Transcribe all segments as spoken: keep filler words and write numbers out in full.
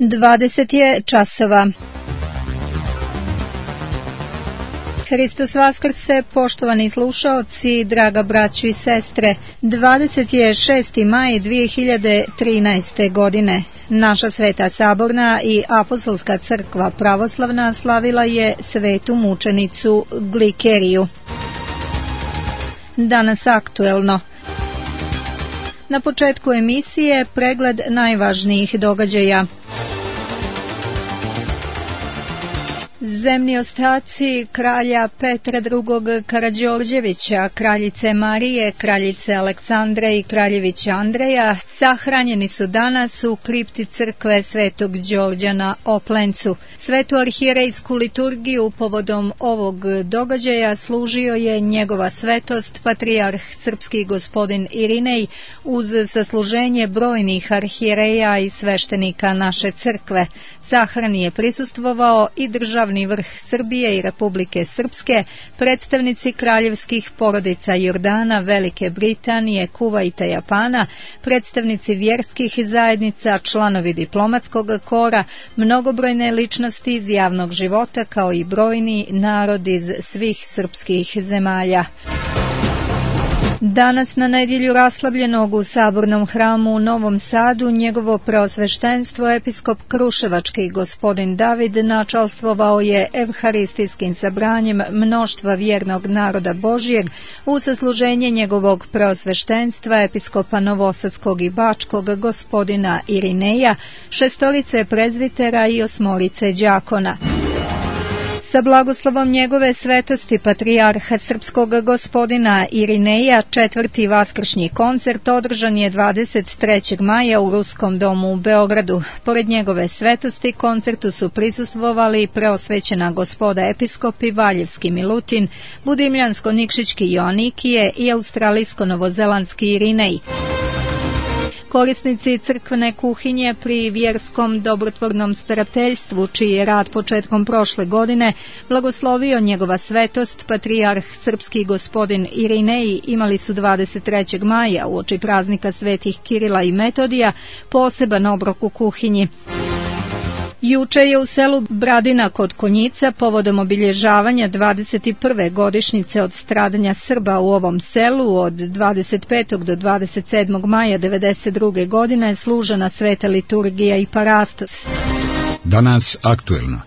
dvadeset je časova. Hristos vaskrse, poštovani slušaoci, draga braćo i sestre. dvadeset šesti maj dvije hiljade trinaeste. godine. Naša Sveta Saborna i Apostolska crkva pravoslavna slavila je svetu mučenicu Glikeriju. Danas aktuelno. Na početku emisije pregled najvažnijih događaja. Zemni ostaci kralja Petra drugog. Karađorđevića, kraljice Marije, kraljice Aleksandre i kraljevića Andreja sahranjeni su danas u kripti crkve Svetog Đorđa na Oplencu. Svetu arhijerejsku liturgiju povodom ovog događaja služio je njegova svetost patrijarh srpski gospodin Irinej uz sasluženje brojnih arhijereja i sveštenika naše crkve. Sahrani je prisustvovao i državni vrh Srbije i Republike Srpske, predstavnici kraljevskih porodica Jordana, Velike Britanije, Kuvajta, Japana, predstavnici vjerskih zajednica, članovi diplomatskog kora, mnogobrojne ličnosti iz javnog života kao i brojni narodi iz svih srpskih zemalja. Danas na nedjelju raslavljenog u Sabornom hramu u Novom Sadu njegovo preosveštenstvo episkop Kruševački gospodin David načalstvovao je evharistijskim sabranjem mnoštva vjernog naroda Božijeg u sasluženje njegovog preosveštenstva episkopa Novosadskog i Bačkog gospodina Irineja, šestorice prezvitera i osmorice đakona. Sa blagoslovom njegove svetosti patrijarha srpskog gospodina Irineja četvrti vaskršnji koncert održan je dvadeset trećeg maja u Ruskom domu u Beogradu. Pored njegove svetosti koncertu su prisustvovali preosvećena gospoda episkopi Valjevski Milutin, Budimljansko-Nikšićki Joanikije i Australijsko-Novozelandski Irinej. Korisnici crkvene kuhinje pri vjerskom dobrotvornom starateljstvu, čiji je rad početkom prošle godine blagoslovio njegova svetost patrijarh srpski gospodin Irinej, imali su dvadeset trećeg maja uoči praznika svetih Kirila i Metodija poseban obrok u kuhinji. Juče je u selu Bradina kod Konjica povodom obilježavanja dvadeset prve godišnjice od stradanja Srba u ovom selu od dvadeset petog do dvadeset sedmog maja devedeset druge. godine služena sveta liturgija i parastos. Danas aktuelno.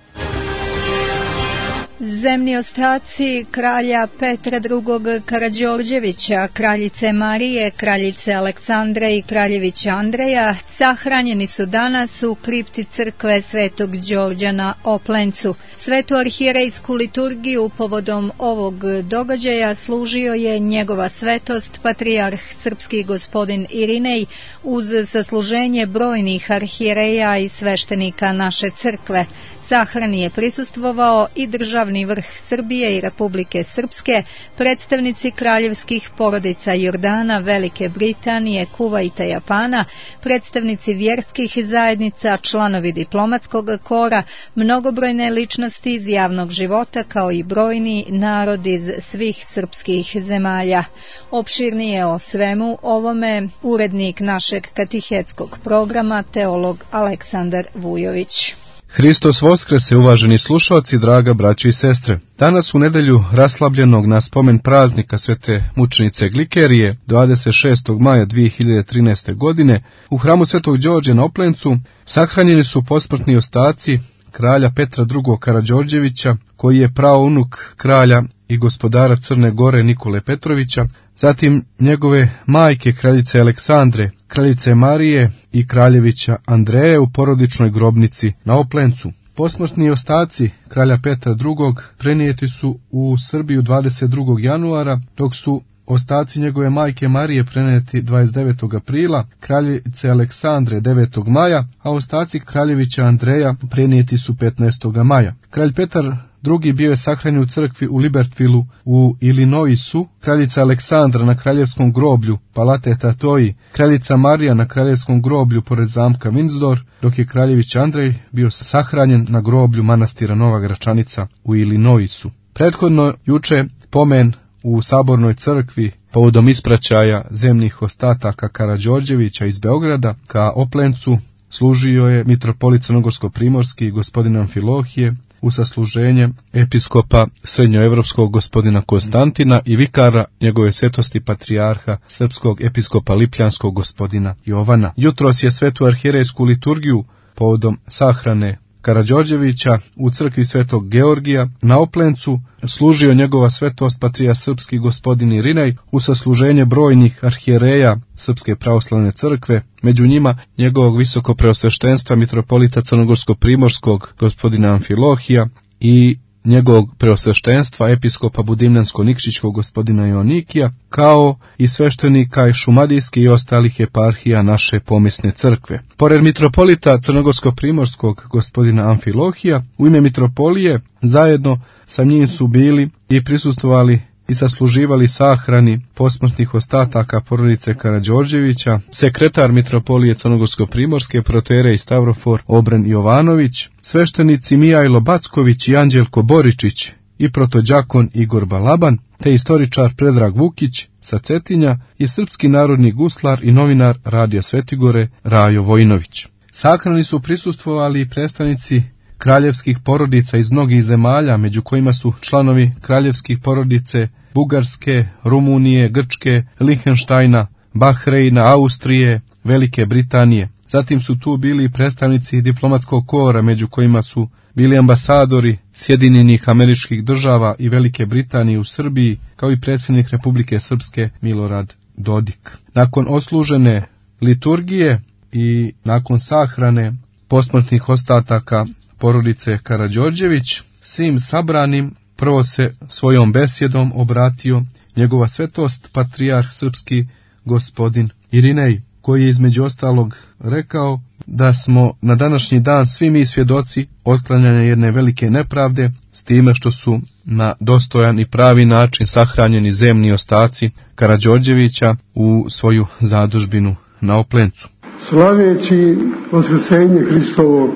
Zemni ostaci kralja Petra drugog. Karađorđevića, kraljice Marije, kraljice Aleksandre i kraljevića Andreja sahranjeni su danas u kripti crkve Svetog Đorđa na Oplencu. Svetu arhijerejsku liturgiju povodom ovog događaja služio je njegova svetost patrijarh srpski gospodin Irinej uz sasluženje brojnih arhijereja i sveštenika naše crkve. Sahrani je prisustvovao i državni vrh Srbije i Republike Srpske, predstavnici kraljevskih porodica Jordana, Velike Britanije, Kuvajta, Japana, predstavnici vjerskih zajednica, članovi diplomatskog kora, mnogobrojne ličnosti iz javnog života kao i brojni narodi iz svih srpskih zemalja. Opširnije o svemu ovome urednik našeg katehetskog programa, teolog Aleksandar Vujović. Hristos Voskrese, uvaženi slušalci, draga braći i sestre. Danas u nedelju raslabljenog na spomen praznika svete mučenice Glikerije, dvadeset šestog maja dvije hiljade trinaeste. godine, u hramu Svetog Đorđa na Oplencu sahranjeni su posmrtni ostaci kralja Petra drugog. Karađorđevića, koji je praunuk kralja i gospodara Crne Gore Nikole Petrovića, zatim njegove majke kraljice Aleksandre, kraljice Marije i kraljevića Andreje u porodičnoj grobnici na Oplencu. Posmrtni ostaci kralja Petra drugog. prenijeti su u Srbiju dvadeset drugog januara, dok su ostaci njegove majke Marije prenijeti dvadeset devetog aprila, kraljice Aleksandre devetog maja, a ostaci kraljevića Andreja prenijeti su petnaestog maja. Kralj Petar drugi bio je sahranjen u crkvi u Libertvilu u Illinoisu, kraljica Aleksandra na kraljevskom groblju Palate Tatoji, kraljica Marija na kraljevskom groblju pored zamka Windsor, dok je kraljević Andrej bio sahranjen na groblju manastira Nova Gračanica u Illinoisu. Prethodno juče pomen u Sabornoj crkvi povodom ispraćaja zemnih ostataka Karađorđevića iz Beograda ka Oplencu služio je mitropolit crnogorsko-primorski gospodin Amfilohije u sasluženje episkopa srednjoevropskog gospodina Konstantina i vikara njegove svetosti patrijarha srpskog episkopa lipljanskog gospodina Jovana. Jutros je svetu arhijerejsku liturgiju povodom sahrane Karađorđevića u crkvi svetog Georgija na Oplencu služio njegova svetost patrijarh srpski gospodin Irinej u sasluženje brojnih arhijereja Srpske pravoslavne crkve, među njima njegovog visokopreosveštenstva mitropolita crnogorsko-primorskog gospodina Amfilohija i njegovog preosveštenstva episkopa Budimljansko-Nikšićkog gospodina Joanikija, kao i sveštenika i šumadijskih i ostalih eparhija naše pomisne crkve. Pored mitropolita crnogorsko-primorskog gospodina Amfilohija, u ime mitropolije zajedno sa njim su bili i prisustvovali i sasluživali sahrani posmrtnih ostataka porodice Karađorđevića, sekretar mitropolije crnogorsko-primorske protoijerej Stavrofor Obren Jovanović, sveštenici Mijajlo Backović i Anđelko Boričić i protođakon Igor Balaban, te istoričar Predrag Vukić sa Cetinja i srpski narodni guslar i novinar Radija Svetigore Rajo Vojinović. Sahrani su prisustvovali i predstavnici kraljevskih porodica iz mnogih zemalja, među kojima su članovi kraljevskih porodice Bugarske, Rumunije, Grčke, Lihenštajna, Bahreina, Austrije, Velike Britanije. Zatim su tu bili predstavnici diplomatskog kora, među kojima su bili ambasadori Sjedinjenih Američkih Država i Velike Britanije u Srbiji, kao i predsjednik Republike Srpske Milorad Dodik. Nakon oslužene liturgije i nakon sahrane posmrtnih ostataka porodice Karađorđević, svim sabranim prvo se svojom besjedom obratio njegova svetost patrijarh srpski gospodin Irinej, koji je između ostalog rekao da smo na današnji dan svi mi svjedoci otklanjanja jedne velike nepravde, s time što su na dostojan i pravi način sahranjeni zemni ostaci Karađorđevića u svoju zadužbinu na Oplencu. Slaveći Vaskrsenje Hristovo,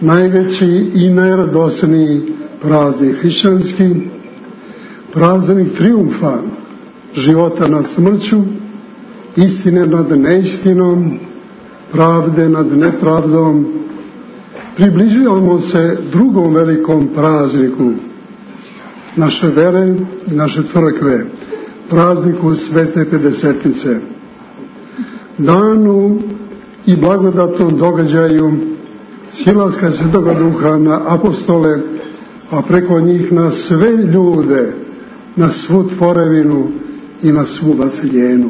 najveći i najradosniji praznik hrišćanski, praznik trijumfa života nad smrću, istine nad neistinom, pravde nad nepravdom, približavamo se drugom velikom prazniku naše vere i naše crkve, prazniku Svete Pedesetnice, danu i blagodatnom događaju silaska Svetoga Duha na apostole, a preko njih na sve ljude, na svu tvorevinu i na svu vaseljenu.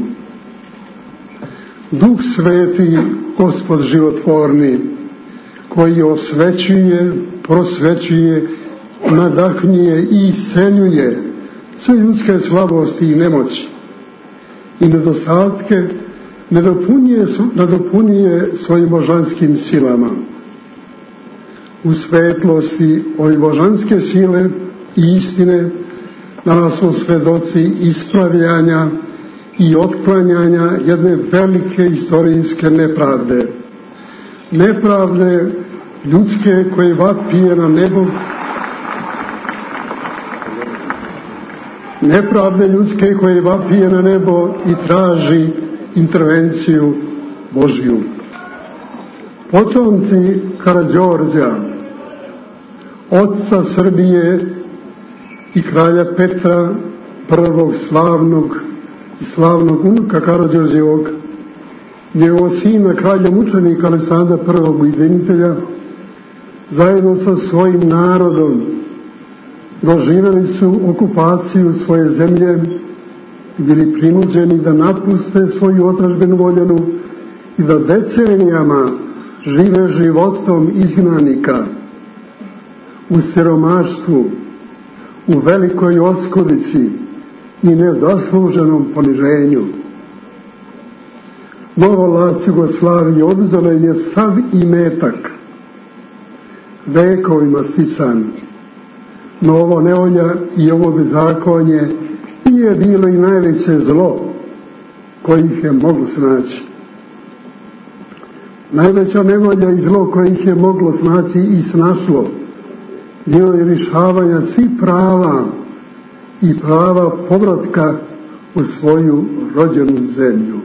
Duh Sveti, Gospod životvorni, koji osvećuje, prosvećuje, nadahnjuje i isceljuje sve ljudske slabosti i nemoći i nedostatke, nadopunjuje, nadopunjuje svojim božanskim silama. U svetlosti ove božanske sile i istine danas smo svedoci ispravljanja i otklanjanja jedne velike istorijske nepravde. Nepravde ljudske koje vapije na nebo, nepravde ljudske koje vapije na nebo i traži intervenciju Božju. Potomci Karađorđa, oca Srbije i kralja Petra, prvog slavnog i slavnog unuka Karađorđevog, njegovog sina, kralja mučenika Aleksandra prvog ujedinitelja, zajedno sa svojim narodom doživjeli su okupaciju svoje zemlje i bili prinuđeni da napuste svoju otadžbinu voljenu i da decenijama žive životom izgnanika u siromaštvu, u velikoj oskudici i nezasluženom poniženju. Nova vlast Jugoslavije oduzela je sav imetak, vekovima stican. No ovo nevolja i ovo bezakonje nije bilo i najveće zlo koje ih je moglo snaći. Najveća nevolja i zlo koje ih je moglo snaći i snašlo bilo je rješavanja svih prava i prava povratka u svoju rođenu zemlju.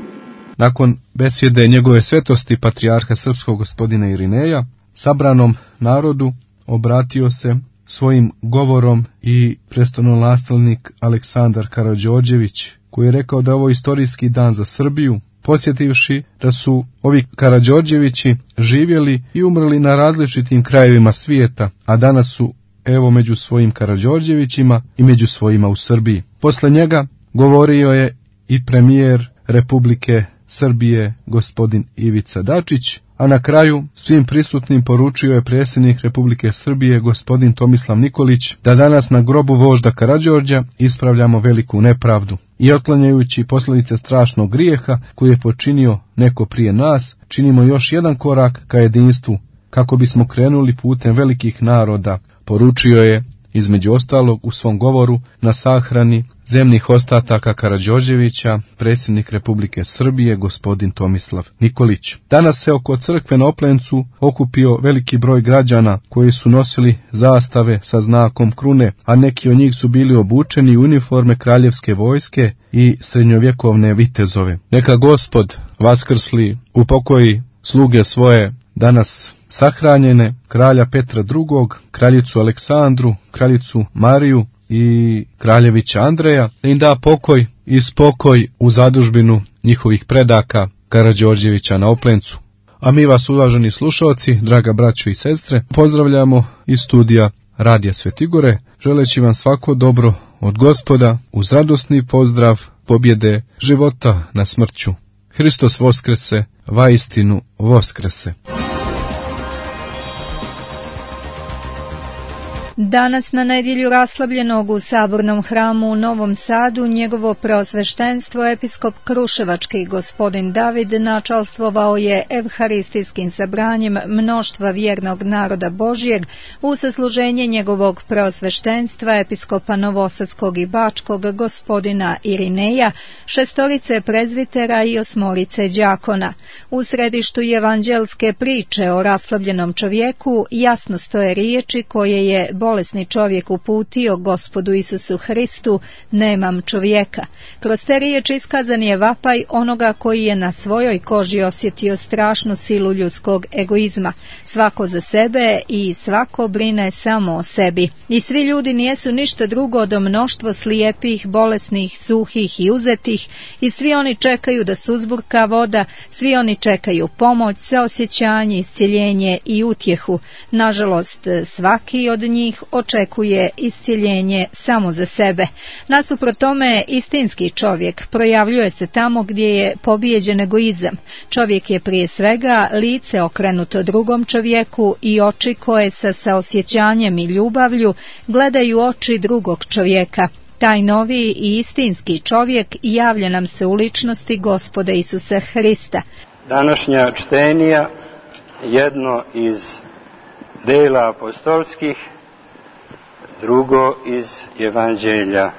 Nakon besjede njegove svetosti patrijarha srpskog gospodina Irineja, sabranom narodu obratio se svojim govorom i prestolonaslednik Aleksandar Karađorđević, koji je rekao da je ovo istorijski dan za Srbiju, posjetivši da su ovi Karađorđevići živjeli i umrli na različitim krajevima svijeta, a danas su evo među svojim Karađorđevićima i među svojima u Srbiji. Posle njega govorio je i premijer Republike Srbije gospodin Ivica Dačić, a na kraju svim prisutnim poručio je predsjednik Republike Srbije gospodin Tomislav Nikolić da danas na grobu vožda Karađorđa ispravljamo veliku nepravdu i otklanjajući posljedice strašnog grijeha koji je počinio neko prije nas, činimo još jedan korak ka jedinstvu kako bismo krenuli putem velikih naroda, poručio je između ostalog u svom govoru na sahrani zemnih ostataka Karađorđevića predsjednik Republike Srbije gospodin Tomislav Nikolić. Danas se oko crkve na Oplencu okupio veliki broj građana koji su nosili zastave sa znakom krune, a neki od njih su bili obučeni u uniforme kraljevske vojske i srednjovjekovne vitezove. Neka Gospod vaskrsli upokoji sluge svoje danas sahranjene, kralja Petra drugog, kraljicu Aleksandru, kraljicu Mariju i kraljevića Andreja, da im da pokoj i spokoj u zadužbinu njihovih predaka Karađorđevića na Oplencu. A mi vas, uvaženi slušalci, draga braćo i sestre, pozdravljamo iz studija Radija Svetigore, želeći vam svako dobro od Gospoda uz radosni pozdrav pobjede života na smrću. Hristos voskrese, vaistinu voskrese. Danas na nedjelju raslabljenog u Sabornom hramu u Novom Sadu njegovo preosveštenstvo episkop Kruševački gospodin David načalstvovao je evharistijskim sabranjem mnoštva vjernog naroda Božjeg u sasluženje njegovog preosveštenstva episkopa Novosadskog i Bačkog gospodina Irineja, šestorice prezvitera i osmorice đakona. U središtu evanđelske priče o raslabljenom čovjeku jasno stoje riječi koje je bolesni čovjek uputio Gospodu Isusu Hristu: nemam čovjeka. Kroz te riječi iskazan je vapaj onoga koji je na svojoj koži osjetio strašnu silu ljudskog egoizma. Svako za sebe i svako brine samo o sebi. I svi ljudi nijesu ništa drugo do mnoštvo slijepih, bolesnih, suhih i uzetih, i svi oni čekaju da suzburka voda, svi oni čekaju pomoć, saosjećanje, iscjeljenje i utjehu. Nažalost, svaki od njih očekuje iscjeljenje samo za sebe. Nasuprot tome, istinski čovjek projavljuje se tamo gdje je pobijeđen egoizam. Čovjek je prije svega lice okrenuto drugom čovjeku i oči koje sa saosjećanjem i ljubavlju gledaju oči drugog čovjeka. Taj novi i istinski čovjek javlja nam se u ličnosti Gospoda Isusa Hrista. Današnja čtenija, jedno iz dela apostolskih, drugo iz Evanđelja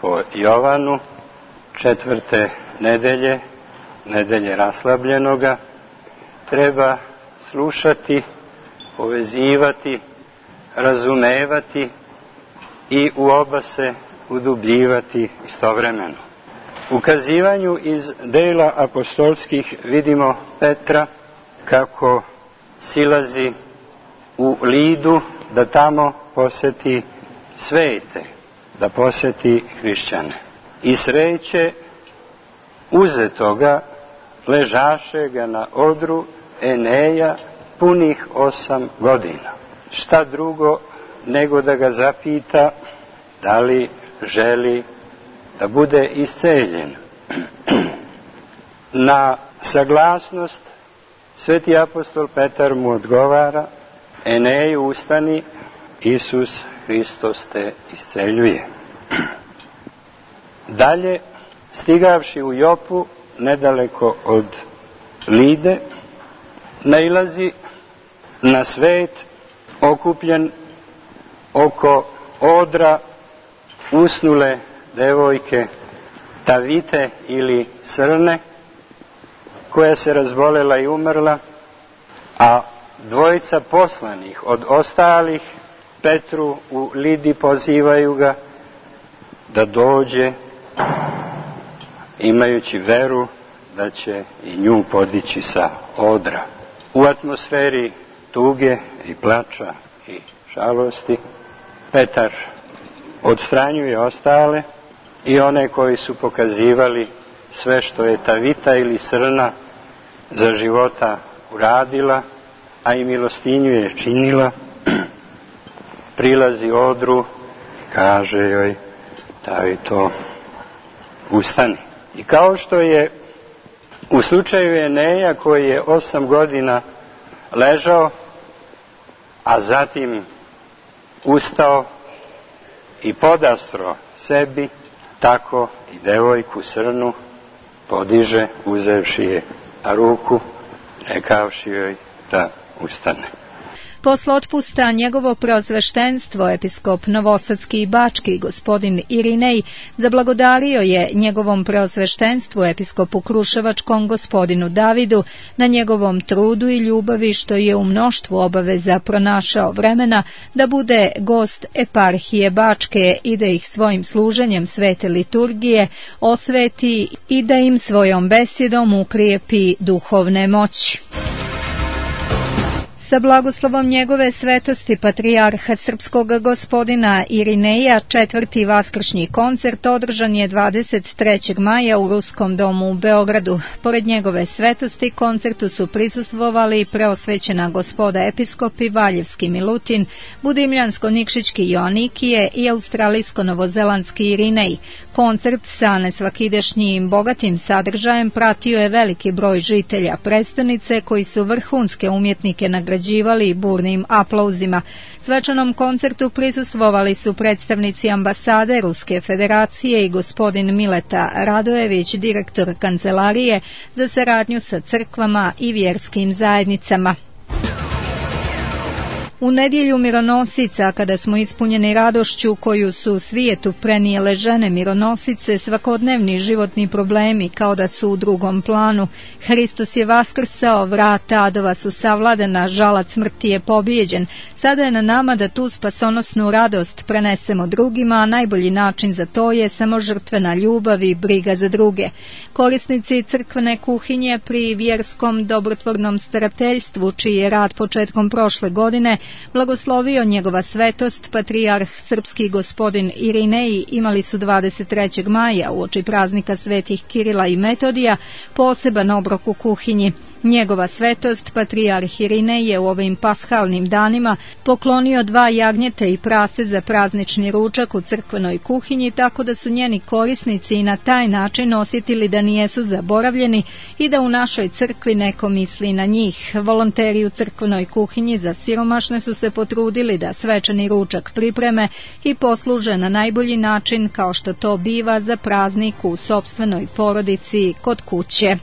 po Jovanu, četvrte nedelje, nedelje raslabljenoga, treba slušati, povezivati, razumevati i u oba se udubljivati istovremeno. U kazivanju iz dela apostolskih vidimo Petra kako silazi u Lidu da tamo posjeti svete, da posjeti hrišćane. I sreće uzetoga ležašega na odru Eneja punih osam godina. Šta drugo nego da ga zapita da li želi da bude isceljen. Na saglasnost sveti apostol Petar mu odgovara: Eneju, ustani, Isus Hristos te isceljuje. Dalje, stigavši u Jopu, nedaleko od Lide, nailazi na svet okupljen oko odra usnule devojke Tavite ili Srne, koja se razbolela i umrla, a dvojica poslanih od ostalih Petru u Lidi pozivaju ga da dođe, imajući veru da će i nju podići sa odra. U atmosferi tuge i plača i žalosti Petar odstranjuje ostale i one koji su pokazivali sve što je ta vita ili srna za života uradila, a i milostinju je činila, prilazi odru, kaže joj, taj to ustani. I kao što je u slučaju Eneja koji je osam godina ležao, a zatim ustao i podastro sebi, tako i devojku srnu podiže uzevši je ruku, rekavši joj da ustane. Posle otpusta njegovo preosveštenstvo, episkop Novosadski i Bački, gospodin Irinej, zablagodario je njegovom preosveštenstvu, episkopu Kruševačkom, gospodinu Davidu, na njegovom trudu i ljubavi što je u mnoštvu obaveza pronašao vremena da bude gost eparhije Bačke i da ih svojim služenjem svete liturgije osveti i da im svojom besjedom ukrijepi duhovne moći. Sa blagoslovom njegove svetosti patrijarha srpskog gospodina Irineja, četvrti vaskršnji koncert održan je dvadeset trećeg maja u Ruskom domu u Beogradu. Pored njegove svetosti koncertu su prisustvovali preosvećena gospoda episkopi Valjevski Milutin, Budimljansko-Nikšićki Joanikije i Australijsko-Novozelandski Irinej. Koncert sa nesvakidašnjim bogatim sadržajem pratio je veliki broj žitelja prestonice koji su vrhunske umjetnike nagrađivali burnim aplauzima. Svečanom koncertu prisustvovali su predstavnici ambasade Ruske federacije i gospodin Mileta Radojević, direktor kancelarije za saradnju sa crkvama i vjerskim zajednicama. U nedjelju mironosica, kada smo ispunjeni radošću koju su svijetu prenijele žene mironosice, svakodnevni životni problemi kao da su u drugom planu. Hristos je vaskrsao, vrata adova su savladana, žalac smrti je pobijeđen. Sada je na nama da tu spasonosnu radost prenesemo drugima, a najbolji način za to je samo žrtvena ljubav i briga za druge. Korisnici crkvene kuhinje pri vjerskom dobrotvornom starateljstvu, čiji je rad početkom prošle godine blagoslovio njegova svetost, patrijarh srpski gospodin Irinej, imali su dvadeset trećeg maja uoči praznika svetih Kirila i Metodija poseban obrok u kuhinji. Njegova svetost, patrijarh Irinej, je u ovim pashalnim danima poklonio dva jagnjeta i prase za praznični ručak u crkvenoj kuhinji, tako da su njeni korisnici i na taj način osjetili da nijesu zaboravljeni i da u našoj crkvi neko misli na njih. Volonteri u crkvenoj kuhinji za siromašne su se potrudili da svečani ručak pripreme i posluže na najbolji način, kao što to biva za praznik u sopstvenoj porodici kod kuće.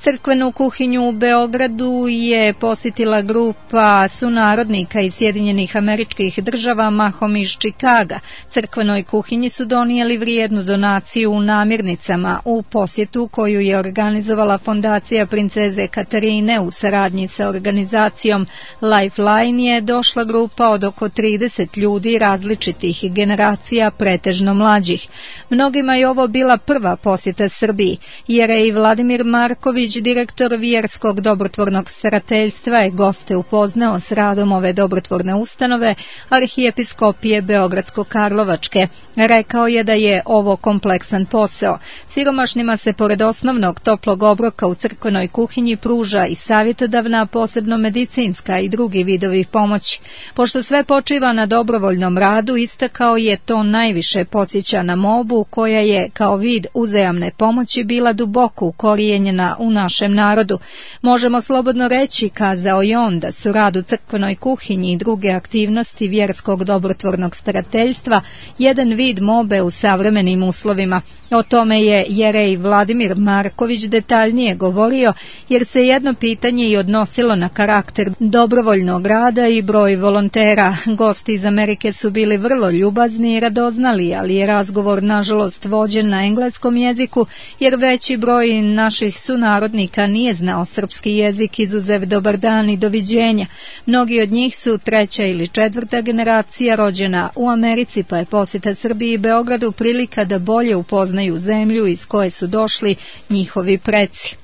Crkvenu kuhinju u Beogradu je posjetila grupa sunarodnika iz Sjedinjenih Američkih Država, mahom iz Čikaga. Crkvenoj kuhinji su donijeli vrijednu donaciju u namirnicama. U posjetu koju je organizovala fondacija princeze Katarine u saradnji sa organizacijom Lifeline je došla grupa od oko trideset ljudi različitih generacija, pretežno mlađih. Mnogima je ovo bila prva posjeta Srbiji. Jerej Vladimir Marković, direktor vjerskog dobrotvornog starateljstva, je goste upoznao s radom ove dobrotvorne ustanove Arhijepiskopije Beogradsko-Karlovačke. Rekao je da je ovo kompleksan posao. Siromašnima se pored osnovnog toplog obroka u crkvenoj kuhinji pruža i savjetodavna, posebno medicinska i drugi vidovi pomoći. Pošto sve počiva na dobrovoljnom radu, istakao je to najviše podsjeća na mobu, koja je kao vid uzajamne pomoći bila duboko ukorijenjena u našem narodu. Možemo slobodno reći, kazao je on, da su rad u crkvenoj kuhinji i druge aktivnosti vjerskog dobrotvornog starateljstva jedan vid mobe u savremenim uslovima. O tome je jerej Vladimir Marković detaljnije govorio, jer se jedno pitanje i odnosilo na karakter dobrovoljnog rada i broj volontera. Gosti iz Amerike su bili vrlo ljubazni i radoznali, ali je razgovor nažalost vođen na engleskom jeziku, jer veći broj naših sunarodnika sunarodnika nije znao srpski jezik izuzev dobar dan i doviđenja. Mnogi od njih su treća ili četvrta generacija rođena u Americi, pa je posjeta Srbiji i Beogradu prilika da bolje upoznaju zemlju iz koje su došli njihovi preci.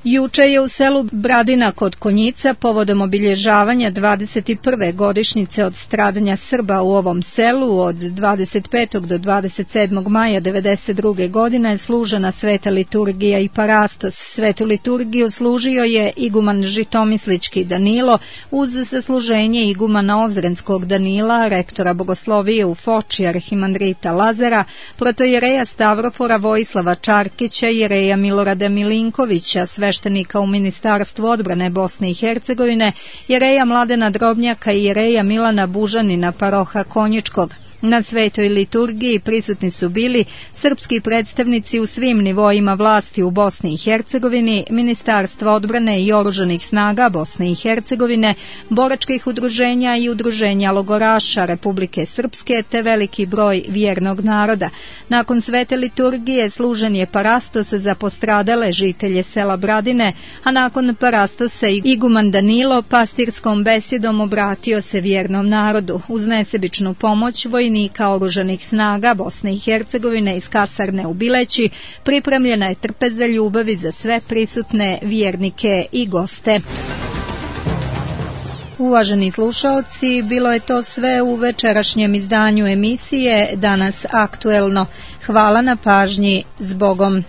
Juče je u selu Bradina kod Konjica povodom obilježavanja dvadeset prve godišnjice od stradanja Srba u ovom selu od dvadeset petog do dvadeset sedmog maja devedeset druge godine služena sveta liturgija i parastos. Svetu liturgiju služio je iguman Žitomislički Danilo uz sasluženje igumana Ozrenskog Danila, rektora bogoslovije u Foči arhimandrita Lazara, protojereja Stavrofora Vojislava Čarkića i jereja Milorada Milinkovića, sveštenika u Ministarstvu odbrane Bosne i Hercegovine, jereja Mladena Drobnjaka i jereja Milana Bužanina paroha Konjičkog. Na svetoj liturgiji prisutni su bili srpski predstavnici u svim nivoima vlasti u Bosni i Hercegovini, Ministarstva odbrane i oružanih snaga Bosne i Hercegovine, boračkih udruženja i udruženja logoraša Republike Srpske te veliki broj vjernog naroda. Nakon svete liturgije služen je parastos za postradale žitelje sela Bradine, a nakon parastosa iguman Danilo pastirskom besjedom obratio se vjernom narodu. Uz nesebičnu pomoć vojnika oružanih snaga Bosne i Hercegovine iz kasarne u Bileći pripremljena je trpeza ljubavi za sve prisutne vjernike i goste. Uvaženi slušaoci, bilo je to sve u večerašnjem izdanju emisije Danas aktuelno. Hvala na pažnji, zbogom.